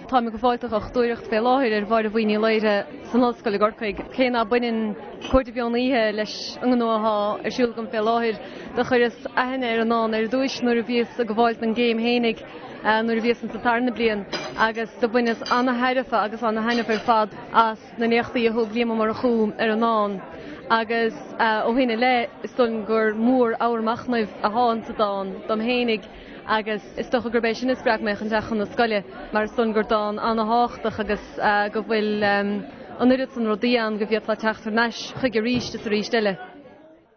Táim ag gabháil do dhochtúireacht fé láthair ar Mháire Bhuí Ní Laoire san Ollscoil i gCorcaigh. Cé ná baineann Cuaird an Mheon Oíche leis an ngnó athá ar siúl agam fé láthair, do chuireas aithne ar an ndán ar dtúis nuair a bhíos ag gabháil don gcéim fhéinig nuair a bhíos insa tarna bliain agus do bhaineas ana-thairbhe agus ana-thaitneamh ar fad as na léachtaí a thug Liam Ó Murchú ar an ndán agus ó shin i leith is dóigh liom gur mór ábhar machnaimh athá insa dán dom fhéinig agus is dócha gurb é sin a spreag mé chun teacht chun na scoile mar is dóigh liom gur dán ana-thábhachtach agus go bhfuil an oiread san rudaí ann go bhféadfá teacht thar n-ais chuige arís is arís eile.